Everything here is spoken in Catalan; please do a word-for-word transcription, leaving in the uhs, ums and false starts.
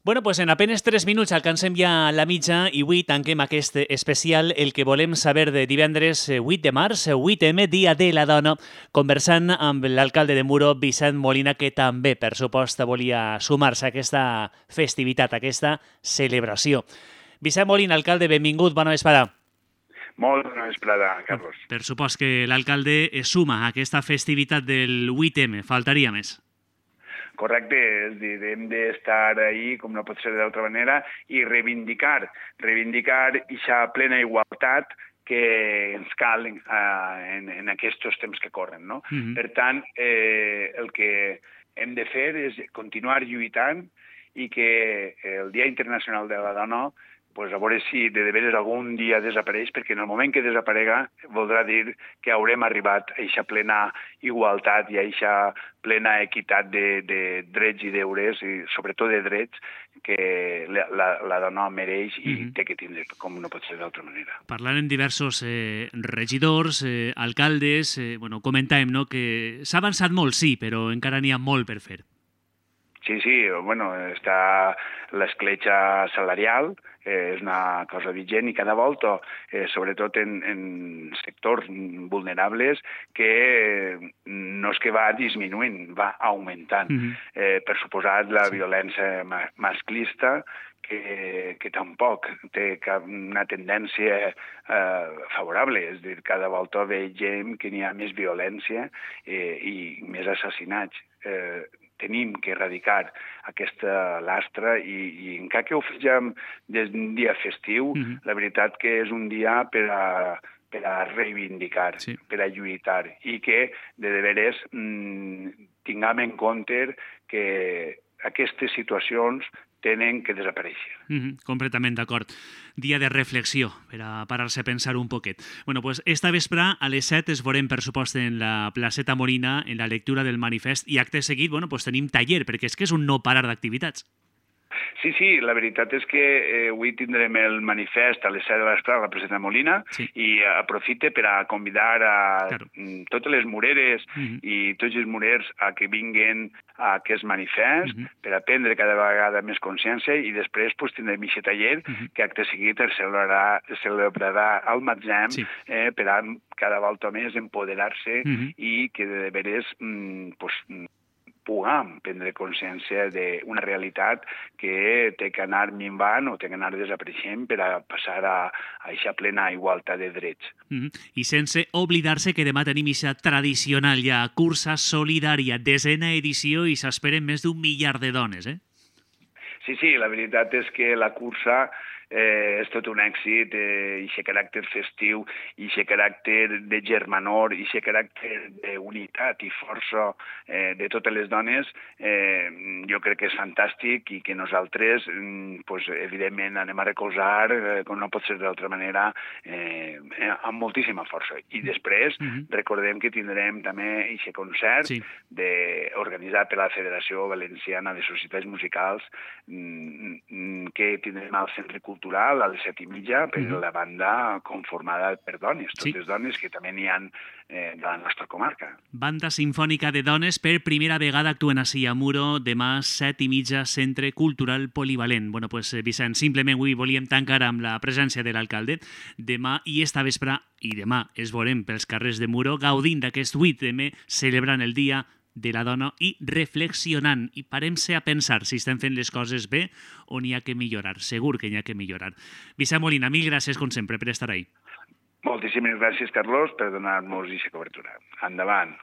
Bueno, pues en apenas tres minuts alcancem ja la mitja i avui tanquem aquest especial El que volem saber de divendres vuit de març, vuit eme, Dia de la Dona, conversant amb l'alcalde de Muro, Vicent Molina, que també, per supost, volia sumar-se a aquesta festivitat, a aquesta celebració. Vicent Molina, alcalde, benvingut, bona vesprada. Molt bona vesprada, Carlos. Per supost que l'alcalde es suma a aquesta festivitat del vuit eme, faltaria més. Correcte, és dir, hem d'estar ahí, com no pot ser d'altra manera, i reivindicar, reivindicar aquesta plena igualtat que ens cal eh, en, en aquests temps que corren, no? Mm-hmm. Per tant, eh, el que hem de fer és continuar lluitant i que el Dia Internacional de la Dona, pues a veure si de veres algun dia desapareix, perquè en el moment que desaparega voldrà dir que haurem arribat a aquesta plena igualtat i a aquesta plena equitat de, de drets i deures, i sobretot de drets, que la, la, la dona mereix i mm-hmm. té que tindre, com no pot ser d'altra manera. Parlant amb diversos eh, regidors, eh, alcaldes, eh, bueno, comentàvem, no?, que s'ha avançat molt, sí, però encara n'hi ha molt per fer. Sí, sí, bueno, està l'escletxa salarial, eh, és una cosa vigent i cada volta, eh, sobretot en, en sectors vulnerables, que eh, no és que va disminuint, va augmentant. Mm-hmm. eh, per suposat, la sí. violència ma masclista, que, que tampoc té cap, una tendència eh, favorable, és a dir, cada volta veiem que n'hi ha més violència eh, i més assassinats. Eh, tenim que erradicar aquesta lastra i, i encara que ho fem des d'un dia festiu, mm-hmm. la veritat que és un dia per a, per a reivindicar, sí. per a lluitar, i que de veres mmm, tinguem en compte que aquestes situacions tenen que desaparèixer. Mm-hmm, completament d'acord. Dia de reflexió, per a parar-se a pensar un poquet. Bueno, pues esta vespre a les set es veurem, per supost, en la placeta Molina, en la lectura del manifest, i acte seguit, bueno, pues tenim taller, perquè és que és un no parar d'activitats. Sí, sí, la veritat és que eh, avui tindrem el manifest a les set de l'espre a la placeta Molina, sí. i aprofite per a convidar a claro. totes les mureres uh-huh. i tots els murers a que vinguen a aquest manifest uh-huh. per a prendre cada vegada més consciència, i després pues, tindrem aquest taller uh-huh. que acte seguit es celebrarà, es celebrarà al Matzem sí. eh, per a cada volta més empoderar-se uh-huh. i que de veres mm, pues, puguem prendre consciència d'una realitat que té que anar minvant o té que anar desapareixent per a passar a aquesta plena igualtat de drets. Mm-hmm. I sense oblidar-se que demà tenim aquesta tradicional ja cursa solidària, desena edició, i s'esperen més d'un miliar de dones, eh? Sí, sí, la veritat és que la cursa eh, és tot un èxit, eh, i aquest caràcter festiu, i aquest caràcter de germanor, i aquest caràcter d'unitat i força eh, de totes les dones, eh, jo crec que és fantàstic, i que nosaltres, eh, pues, evidentment, anem a recolzar, eh, com no pot ser d'altra manera, eh, amb moltíssima força. I després, mm-hmm. recordem que tindrem també aquest concert sí. de, organitzat per la Federació Valenciana de Societats Musicals, que tindrem al Centre Cultural a les set i mitja per uh-huh. la banda conformada per dones, totes sí. dones que també n'hi ha eh, de la nostra comarca. Banda Simfònica de Dones per primera vegada actuen així a Muro, demà set i mitja, Centre Cultural Polivalent. Bueno, pues, Vicent, simplement avui volíem tancar amb la presència de l'alcalde. Demà i esta vespre, i demà es veurem pels carrers de Muro, gaudint d'aquest vuit eme, celebrant el Dia de la Dona i reflexionant, i parem-se a pensar si estem fent les coses bé o n'hi ha que millorar. Segur que n'hi ha que millorar. Vicent Molina, mil gràcies, com sempre, per estar ahí. Moltíssimes gràcies, Carlos, per donar-nos aquesta cobertura. Endavant.